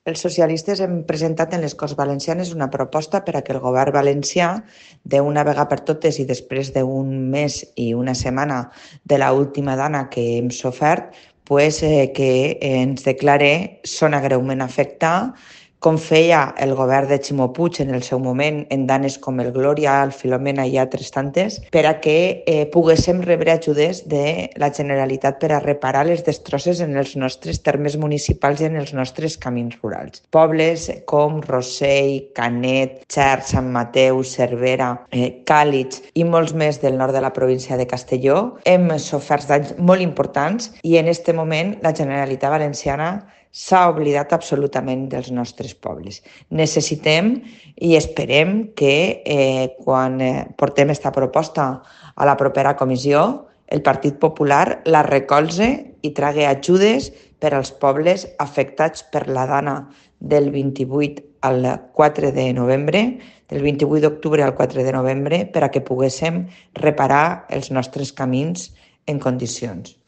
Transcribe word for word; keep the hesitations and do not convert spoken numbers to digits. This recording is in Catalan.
Els socialistes hem presentat en les Corts Valencianes una proposta per a que el govern valencià, d'una vegada per totes i després d'un mes i una setmana de l'última dana que hem sofert, pues, eh, que ens declare zona greument afectada, com feia el govern de Ximo Puig en el seu moment en danes com el Glòria, el Filomena i altres tantes, per a que eh, poguéssim rebre ajudes de la Generalitat per a reparar les destrosses en els nostres termes municipals i en els nostres camins rurals. Pobles com Rossell, Canet, Xert, Sant Mateu, Cervera, eh, Càlig i molts més del nord de la província de Castelló hem sofert danys molt importants i en aquest moment la Generalitat Valenciana s'ha oblidat absolutament dels nostres pobles. Necessitem i esperem que eh, quan eh, portem aquesta proposta a la propera comissió, el Partit Popular la recolze i tragui ajudes per als pobles afectats per la dana del vint-i-vuit al quatre de novembre, del vint-i-vuit d'octubre al quatre de novembre, per a que poguéssim reparar els nostres camins en condicions.